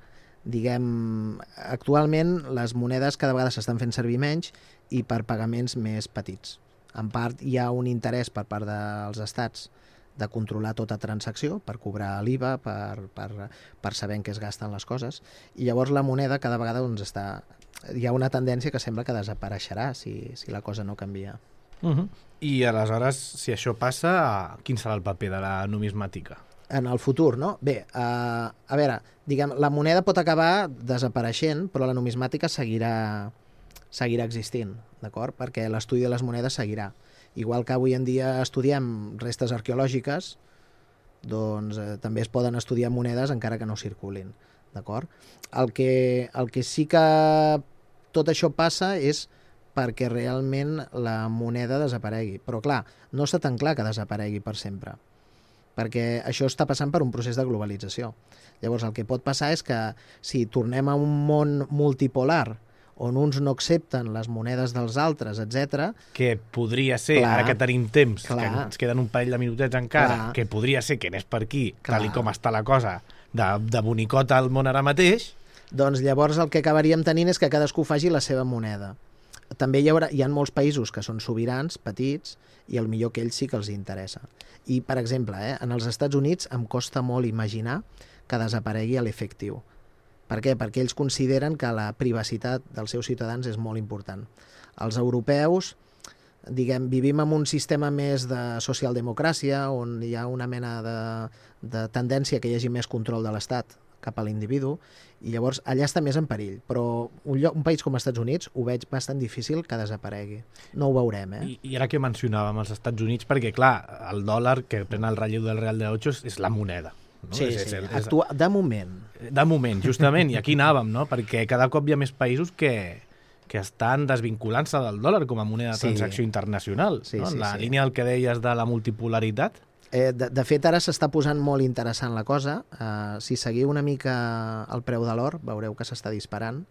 Diguem, actualment les monedes cada vegada s'estan fent servir menys i per pagaments més petits. En part hi ha un interès per part dels estats de controlar tota transacció, per cobrar l'IVA, per saber en què es gasten les coses, i llavors la moneda cada vegada doncs, hi ha una tendència que sembla que desapareixerà si la cosa no canvia. I aleshores, si això passa, quin serà el paper de la numismàtica? En el futur, no? Bé, a veure, diguem, la moneda pot acabar desapareixent, però la numismàtica seguirà existint, d'acord? Perquè l'estudi de les monedes seguirà. Igual que avui en dia estudiem restes arqueològiques, doncs també es poden estudiar monedes encara que no circulin, d'acord? El que sí que tot això passa és perquè realment la moneda desaparegui. Però clar, no està tan clar que desaparegui per sempre, perquè això està passant per un procés de globalització. Llavors el que pot passar és que si tornem a un món multipolar on uns no accepten les monedes dels altres, etc. Que podria ser, ara que tenim temps, que ens queden un parell de minutets encara, que podria ser que anés per aquí, tal com està la cosa, de bonicota al món ara mateix. Doncs llavors el que acabaríem tenint és que cadascú faci la seva moneda. També hi ha molts països que són sobirans, petits, i el millor que ells sí que els interessa. I, per exemple, en els Estats Units em costa molt imaginar que desaparegui l'efectiu. Per què? Perquè ells consideren que la privacitat dels seus ciutadans és molt important. Els europeus, diguem, vivim en un sistema més de socialdemocràcia, on hi ha una mena de tendència que hi hagi més control de l'Estat cap a l'individu, i llavors allà està més en perill. Però un país com els Estats Units ho veig bastant difícil que desaparegui. No ho veurem, I ara que mencionàvem els Estats Units, perquè clar, el dòlar que pren el relleu del real de 8 és la moneda. No? Sí, de moment. De moment, justament, i aquí anàvem, no? Perquè cada cop hi ha més països que estan desvinculant-se del dòlar com a moneda de transacció internacional. En la línia del que deies de la multipolaritat. De fet, ara s'està posant molt interessant la cosa. Si seguiu una mica el preu de l'or, veureu que s'està disparant.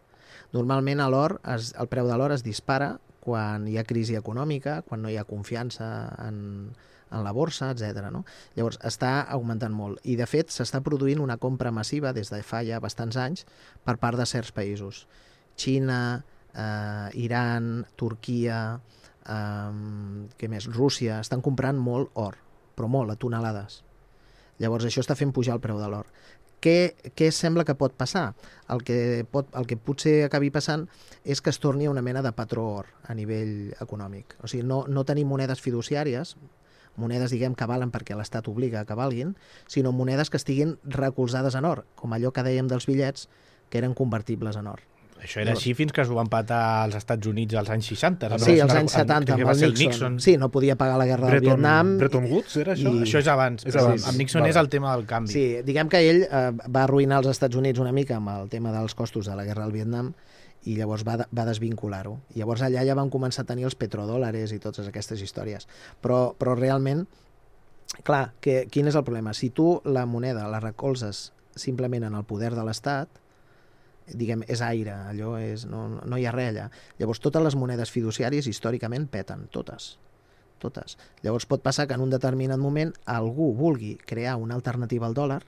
Normalment el preu de l'or es dispara quan hi ha crisi econòmica, quan no hi ha confiança en la borsa, etc. No? Llavors, està augmentant molt. I, de fet, s'està produint una compra massiva des de fa ja bastants anys per part de certs països. Xina, Iran, Turquia, què més? Rússia, estan comprant molt or, però molt, a tonelades. Llavors això està fent pujar el preu de l'or. Què sembla que pot passar? El que potser acabi passant és que es torni a una mena de patró or a nivell econòmic. O sigui, no tenim monedes fiduciàries, monedes, diguem, que valen perquè l'Estat obliga que valguin, sinó monedes que estiguin recolzades en or, com allò que dèiem dels bitllets, que eren convertibles en or. Això era així fins que s'ho van patar als Estats Units als anys 60. Sí, als anys 70, amb el Nixon. Sí, no podia pagar la guerra del Vietnam. Bretton Woods era això? Això és abans. Amb Nixon és el tema del canvi. Sí, diguem que ell va arruïnar els Estats Units una mica amb el tema dels costos de la guerra del Vietnam i llavors va desvincular-ho. Llavors allà ja van començar a tenir els petrodòlares i totes aquestes històries. Però realment, clar, quin és el problema? Si tu la moneda la recolzes simplement en el poder de l'Estat, diguem, és aire, allò no hi ha res allà. Llavors totes les monedes fiduciàries històricament peten, totes. Llavors pot passar que en un determinat moment algú vulgui crear una alternativa al dòlar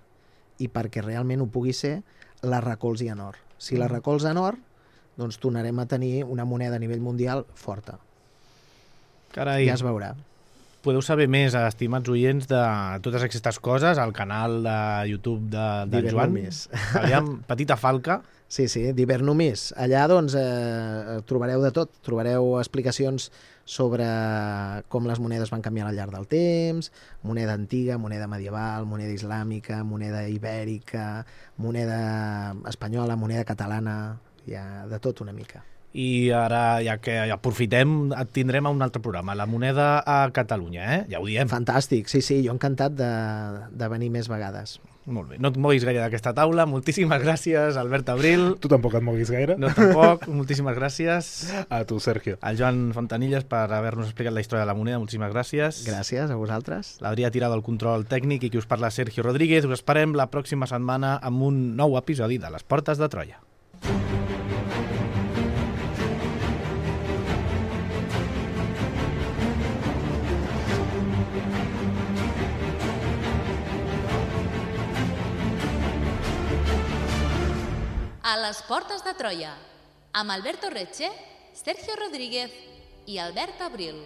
i perquè realment ho pugui ser, la recolzi en or. Si la recolza en or, doncs tornarem a tenir una moneda a nivell mundial forta. Carai. Ja es veurà. Podeu saber més, estimats oients, de totes aquestes coses al canal de YouTube de Joan. Aviam, Petita Falca. Sí, Divernumis. Allà doncs trobareu de tot. Trobareu explicacions sobre com les monedes van canviar al llarg del temps, moneda antiga, moneda medieval, moneda islàmica, moneda ibèrica, moneda espanyola, moneda catalana, hi ha de tot una mica. I ara, ja que aprofitem, et tindrem a un altre programa, La moneda a Catalunya, ja ho diem. Fantàstic, sí, jo encantat de venir més vegades. Molt bé, no et moguis gaire d'aquesta taula. Moltíssimes gràcies, Albert Abril. Tu tampoc et moguis gaire. No, tampoc. Moltíssimes gràcies. A tu, Sergio. Al Joan Fontanilles per haver-nos explicat la història de la moneda. Moltíssimes gràcies. Gràcies a vosaltres. L'Adrià Tirado al control tècnic i qui us parla, Sergio Rodríguez. Us esperem la pròxima setmana amb un nou episodi de Les Portes de Troia. A les Portes de Troia, amb Alberto Reche, Sergio Rodríguez i Albert Abril.